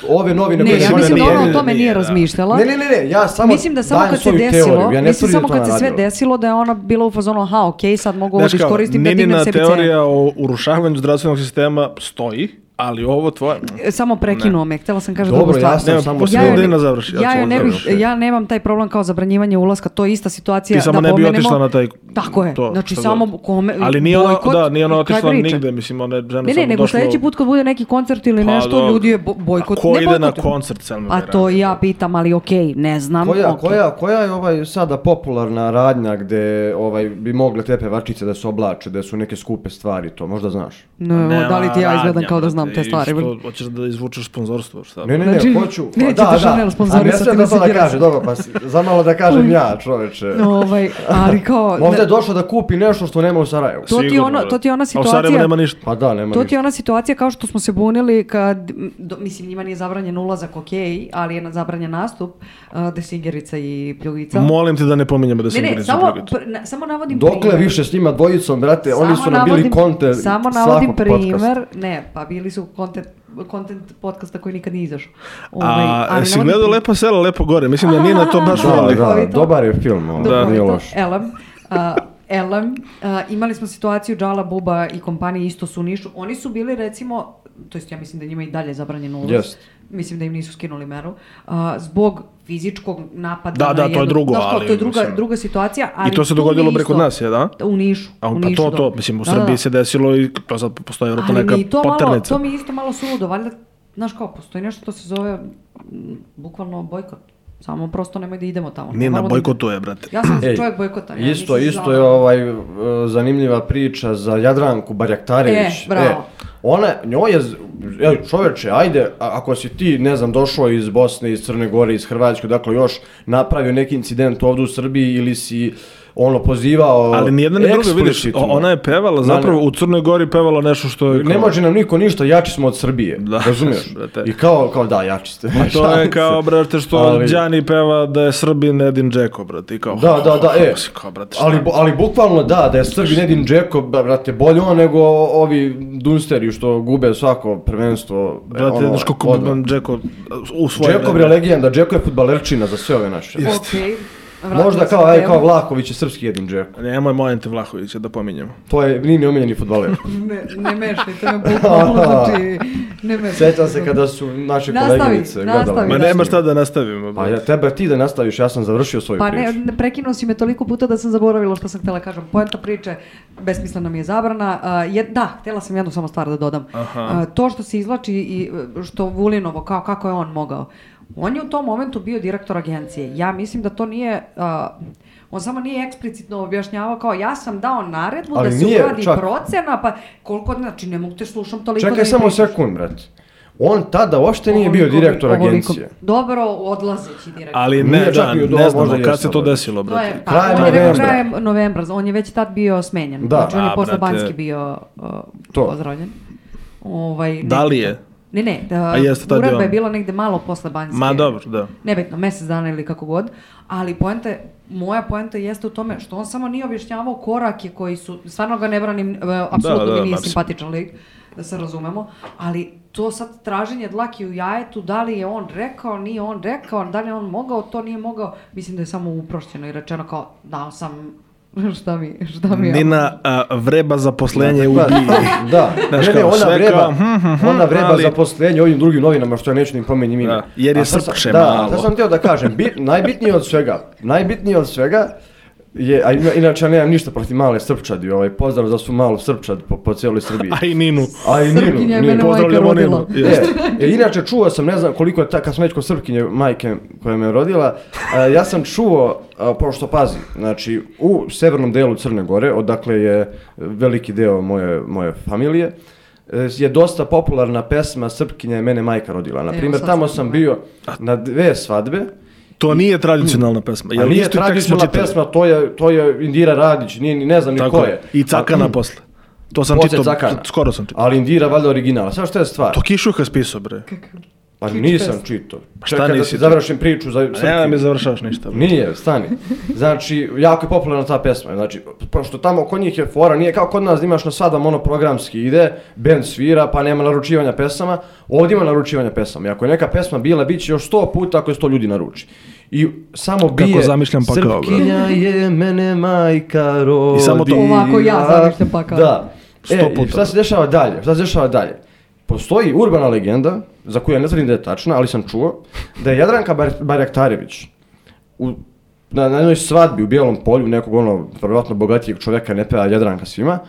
ove novine Ne, koje ja se mislim da nije- ona o tome nije, nije da. razmišljala. Ne, ne, ne, ne, ja samo Mislim da samo dajem kad se svoju desilo, teoriju, ja ne mislim tvrdim da samo to kad ona se sve radila. desilo da je ona bila u fazonu, aha, okej, sad mogu ovo Znaš da kao, iskoristim da dignem Ninina sebi cenu. teorija o urušavanju zdravstvenog sistema stoji, ali ovo tvoje... E, Samo prekinuo me, htjela sam kažem Dobro, drugu stvar. ja sam Nema, samo posle Ja joj da ne- Nina završi. Ja, ću joj on ne bih, završiti. ja nemam taj problem kao zabranjivanje ulaska, to je ista situacija Ti samo da ne bi pomenemo- otišla na taj... Tako je, to, znači šta samo god. kome, Ali nije ona, bojkot, da, nije ona kraj otišla priče. nigde, mislim, ona je žena Ne, ne, samo nego došla... sljedeći put kad bude neki koncert ili Pa, nešto, dobro. ljudi je bo- bojkot. A ko ne ide na bojkotuju. koncert Selma A Bajrami? to i ja pitam, ali okej, ne znam. Koja, okej. koja, koja je ovaj sada popularna radnja gdje ovaj, bi mogle te pevačice da se oblače, da su neke skupe stvari, to možda znaš? Ne, Nema da li ti ja izgledam radnja, kao da znam brate, te stvari? i što, hoćeš da izvučeš sponzorstvo, šta? Ne, ne, ne, Znači, hoću. neće da, te Chanel da. sponzorisati, A ne sve da to da mislim, kaže, dobro, pa si- zamalo da kažem ja, čoveče. Ovaj, ali kao... Možda je došao da kupi nešto što nema u Sarajevu. To ti je Sigurno, ono- da. to ti je ona A u situacija- Sarajevu nema ništa. Pa da, nema To ti ništa. je ona situacija kao što smo se bunili kad, m, do, mislim njima nije zabranjen ulazak, okej, ali je na- zabranjen nastup uh, Desingerica i Pljugica. Molim te da ne pominjemo da ne, se ne, igra samo, za Pljugicu. pr- na- samo navodim Dokle primjer. više s njima dvojicom, brate, oni Samo su nam bili navodim- kontent Samo navodim svakog podcasta. primer, ne, pa bili su kontent, kontent podcasta koji nikad nije izašao. A, ali jesi navodim gledao primjer. Lepo selo, Lepo gore? Mislim da Nina to baš Da, voli. da, Duhovito. dobar je film, ovo, Duhovito. nije loš. Elem, uh, Elem, uh, imali smo situaciju Džala Buba i kompanije isto su u Nišu. Oni su bili recimo, to jest ja mislim da njima i dalje zabranjen ulaz. Jest. Mislim da im nisu skinuli meru. Uh, zbog fizičkog napada. Da, na da, to je jednog- drugo, Znaš kao, ali to je druga, mislim- druga situacija. Ali I to se tu dogodilo mi preko isto- nas, je, da? U Nišu. A, u pa Nišu, to, da. to, mislim, u Da, Srbiji da. se desilo i to sad postoji vjerojatno Ali neka mi to malo, poternica. to mi je isto malo suludo, valjda, znaš kao, postoji nešto to se zove m, bukvalno bojkot. Samo prosto nemoj da idemo tamo. Nina Normalno da bojkotuje, brate. idemo. Ja sam Ej, čovjek bojkota. Ja Isto, nisam isto za- je ovaj, e, zanimljiva priča za Jadranku Barjaktarević. E, bravo. ona, njoj je, z- ej, čoveče, ajde, a- ako si ti, ne znam, došao iz Bosne, iz Crne Gore, iz Hrvatske, dakle još napravio neki incident ovdje u Srbiji ili si ono pozivao Ali nijedna ni druga, vidiš, eksplicitno. ona je pevala, zapravo u Crnoj Gori pevala nešto što je... Kao... Ne može nam niko ništa, jači smo od Srbije, Da, razumiješ? brate. I kao, kao da, jači ste. A to je kao, brate, što Ali- Đani peva da je Srbin Edin Džeko, brate, i kao... Da, da, da, e, Kao, brate, šta? ali, bu- ali bukvalno da, da je Srbin Edin Džeko, brate, bolje on nego ovi Dunsteri što gube svako prvenstvo. e, Brate, ono, znaš kako odmah. bi Džeko u svoje Džeko bre legenda, Džeko je fudbalerčina za sve ove naše. Okej. Vratili Možda smo kao, aj, temu. kao Vlahović je srpski Edin Džeko. Nemoj Mojente Vlahovića da pominjemo. To je, nije mi omiljeni fudbaler. Ne, ne mešaj, to je bukvalno, znači, ne mešaj. Sjećam se kada su naše Nastavi, koleginice nastavi. gledale. Ma da. nema šta da nastavimo. Pa brate. ja, tebe ti da nastaviš, ja sam završio svoju Pa priču. ne, ne, prekinuo si me toliko puta da sam zaboravila što sam htjela kažem. Poenta priče, besmislena mi je zabrana. Uh, je, da, htjela sam jednu samo stvar da dodam. Aha. Uh, to što se izvlači i uh, što Vulinovo, kao kako je on mogao. On je u tom momentu bio direktor agencije. Ja mislim da to nije... Uh, on samo nije eksplicitno objašnjavao kao ja sam dao naredbu Ali da se nije, uradi čak- procena, pa koliko, znači ne mogu te slušam toliko da Čekaj mi samo pričaš. sekund, brate. On tada uopšte nije bio Ovoliko- direktor ovoliko- agencije. Dobro, odlazeći direktor. Ali Nije ne, čak da, bio ne dobro, znamo možda kad jesam, se to brate. desilo, To brate. je, pa, Krajem on je rekao novembra. krajem novembra, on je već tad bio smenjen. Da. Znači on je A, posle brate. Banjski bio uh, To. pozdravljen. Ovaj, Da li nebitno. je? Ne, ne, da, A jeste tad uredba bio je on? bila negde malo posle Banjske. Ma dobro, da. Nebitno, mjesec dana ili kako god. Ali poenta, je- moja poenta jeste u tome što on samo nije objašnjavao korake koji su, stvarno ga ne branim, e, apsolutno Da, da, mi nije apsolutno. simpatičan lik, da se razumemo, ali to sad traženje dlaki u jajetu, da li je on rekao, nije on rekao, da li je on mogao, to nije mogao, mislim da je samo uprošćeno i rečeno kao, dao sam, šta mi, šta mi je. Nina a, vreba zaposlenje u Da, Biji. da. Znaš ne, ne, kao, ona sve vreba, kao, hm, hm, hm, ona vreba ali- zaposlenje ovim drugim novinama, što ja neću ni pomenim ime. Da, jer je A sad sam- srpše da, malo. Da, sam htio da kažem, bit, najbitnije od svega, najbitnije od svega je, a ina- inače ja nemam ništa protiv male Srpčadi, ovaj, pozdrav za svu malu Srpčad po, po cijeloj Srbiji. A i Ninu. A i Srpkinja je Ninu, mene Ninu. majka Pozdravljamo rodila. Ninu. E, Jeste. e, inače čuo sam, ne znam koliko je ta, kad sam već kod Srpkinje majke koja me je rodila, a, ja sam čuo, a, pošto pazi, znači u severnom delu Crne Gore, odakle je veliki deo moje, moje familije, e, je dosta popularna pesma Srpkinja je mene majka rodila. Na Evo, primjer, sad tamo sam sam pogledala. bio na dve svadbe. To nije tradicionalna pesma. A Jel nije isti tekst smo tradicionalna čitali? pesma, to je, to je Indira Radić, nije, ni- ne znam ni Tako ko je. je. I Cakana posle. To sam Poslije čitao, Cakana. skoro sam čitao. Ali Indira valjda originala. Sad što je stvar? To Kišuha spisao, bre. Pa Kič nisam fest. čitao. šta Čekaj da nisi ti čitao? završim priču za Ne da Srpkinju. mi završavaš ništa. bre. Nije, stani. Znači, jako je popularna ta pesma. Znači, pošto tamo kod njih je fora, nije kao kod nas da imaš na svadbama ono programski ide, band svira, pa nema naručivanja pesama. Ovdje ima naručivanja pesama. I ako je neka pesma bila, bit će još sto puta ako je sto ljudi naruči. I samo bije, zamišljam pakao, bre. Srpkinja je mene majka rodila. I samo to. Ovako ja zamišljam pakao. Da. Sto E, i puta. šta se dešava dalje? Šta se dešava dalje? Postoji urbana legenda, za koju ja ne tvrdim da je tačna, ali sam čuo, da je Jadranka Bar- Barjaktarević u, na, na jednoj svadbi u Bijelom polju, nekog ono, vjerojatno bogatijeg čovjeka, ne peva Jadranka svima,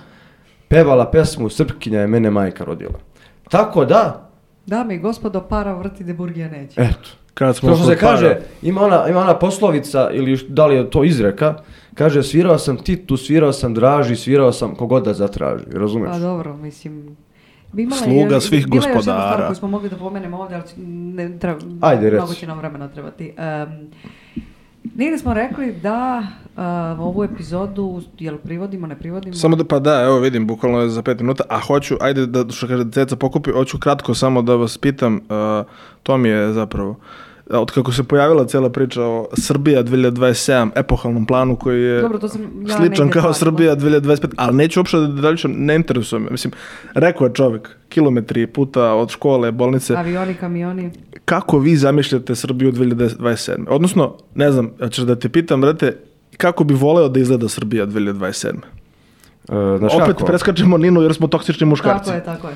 pevala pesmu Srpkinja je mene majka rodila. Tako da, Dame i gospodo, para vrti de burgija neće. eto. Kad smo To što kod se kaže, para. ima ona, ima ona poslovica, ili š- da li je to izreka, kaže svirao sam Titu, svirao sam Draži, svirao sam kogod da zatraži, razumiješ? Pa dobro, mislim... Bi imala Sluga još- svih bila je još jedna gospodara. stvar koju smo mogli da pomenemo ovdje, ali ne treba, Ajde, reci. mnogo će nam vremena trebati. Um, Negdje smo rekli da uh, ovu epizodu, jel privodimo, ne privodimo? Samo da, pa da, evo vidim, bukvalno je za pet minuta, a hoću, ajde da, što kaže Ceca pokupi, hoću kratko samo da vas pitam, uh, to mi je zapravo, od kako se pojavila cijela priča o Srbija dvije hiljade dvadeset sedam, epohalnom planu koji je Dobro, to sam ja sličan negdje kao čula. Srbija dvije hiljade dvadeset pet, ali neću uopšte da daljičam, ne interesuje me. Mislim, rekao je čovjek, kilometri puta od škole, bolnice, Avioni, kamioni. kako vi zamišljate Srbiju dvije hiljade dvadeset sedam? Odnosno, ne znam, ćeš da te pitam, brate, kako bi voleo da izgleda Srbija dvije hiljade dvadeset sedam? E, znaš Opet kako? preskačemo Ninu jer smo toksični muškarci. Tako je, tako je.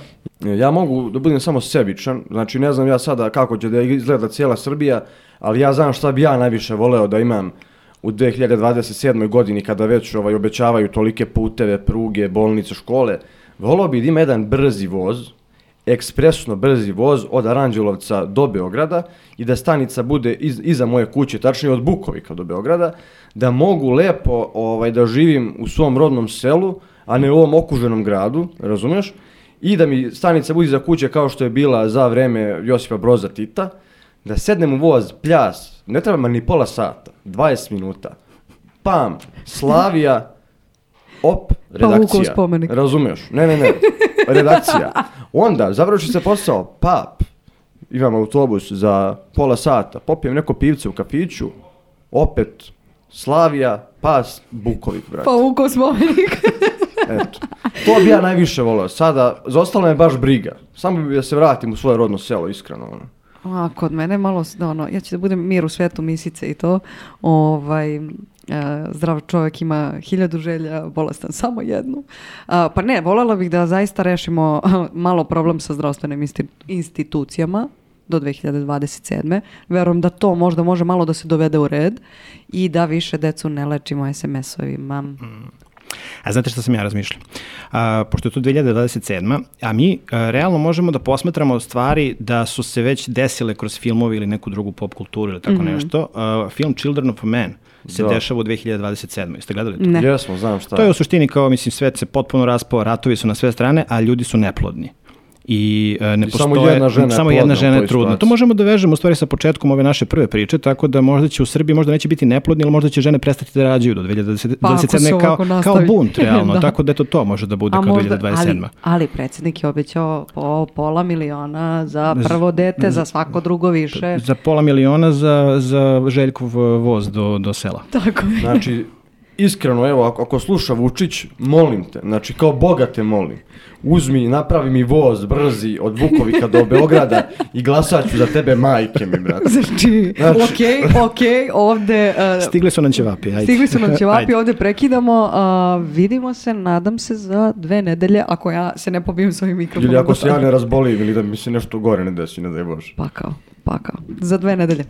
Ja mogu da budem samo sebičan, znači ne znam ja sada kako će da izgleda cijela Srbija, ali ja znam šta bi ja najviše voleo da imam u dvije hiljade dvadeset sedmoj godini kada već ovaj, obećavaju tolike puteve, pruge, bolnice, škole. Voleo bi da ima jedan brzi voz, ekspresno brzi voz od Aranđelovca do Beograda i da stanica bude iz, iza moje kuće, tačnije od Bukovika do Beograda, da mogu lepo ovaj, da živim u svom rodnom selu, a ne u ovom okuženom gradu, razumiješ? I da mi stanica bude iza kuće kao što je bila za vreme Josipa Broza Tita, da sednem u voz, pljas, ne treba ma ni pola sata, dvadeset minuta, pam, Slavija, op, Pa Vukov redakcija. spomenik. Razumeš? Ne, ne, ne. Redakcija. Onda, završi se posao, pap, imam autobus za pola sata, popijem neko pivce u kafiću, opet, Slavija, pas, Bukovik, brate. Pa Vukov spomenik. Eto. To bi ja najviše volio. Sada, za ostalo me baš briga. Samo bi da se vratim u svoje rodno selo, iskreno. Ono. A, kod mene malo, ono, ja ću da budem mir u svetu misice i to, ovaj, e, zdrav čovjek ima hiljadu želja, bolestan samo jednu. A, pa ne, voljela bih da zaista rešimo malo problem sa zdravstvenim insti- institucijama do dve hiljade dvadeset sedme. Verujem da to možda može malo da se dovede u red i da više decu ne lečimo es em es-ovima. Mm. A znate što sam ja razmišljao? A, pošto je to dve hiljade dvadeset sedma, a mi a, realno možemo da posmatramo stvari da su se već desile kroz filmove ili neku drugu pop kulturu ili tako mm-hmm. nešto. A, film Children of Man se da. dešava u dve hiljade dvadeset sedmoj. Jeste gledali to? Ne. Jesmo, znam šta. To je u suštini kao, mislim, svet se potpuno raspao, ratovi su na sve strane, a ljudi su neplodni. I uh, ne I postoje, samo jedna žena je, samo jedna žena je trudna. situaciji. To možemo da vežemo u stvari sa početkom ove naše prve priče, tako da možda će u Srbiji možda neće biti neplodni, ali možda će žene prestati da rađaju do dve hiljade dvadeset sedme kao, kao bunt, realno. Tako da to to može da bude a kao možda, dve hiljade dvadeset sedma. Ali, ali predsjednik je obećao po pola miliona za prvo dete, za svako drugo više. Za pola miliona za, za Željkov voz do, do sela. Tako je. Znači, iskreno, evo, ako, ako sluša Vučić, molim te, znači kao Boga te molim, uzmi, napravi mi voz brzi od Vukovika do Beograda i glasat ću za tebe, majke mi, brate. Znači, Znači. okej, okej, ovde... Uh, Stigli su nam ćevapi, ajde. Stigli su nam ćevapi, Ajde. ovde prekidamo. Uh, vidimo se, nadam se, za dve nedelje, ako ja se ne pobijem s ovim mikrofonom. Ili ako se ja ne razbolim ili da mi se nešto gore ne desi, ne daj Bože. Pakao, pakao. Za dve nedelje.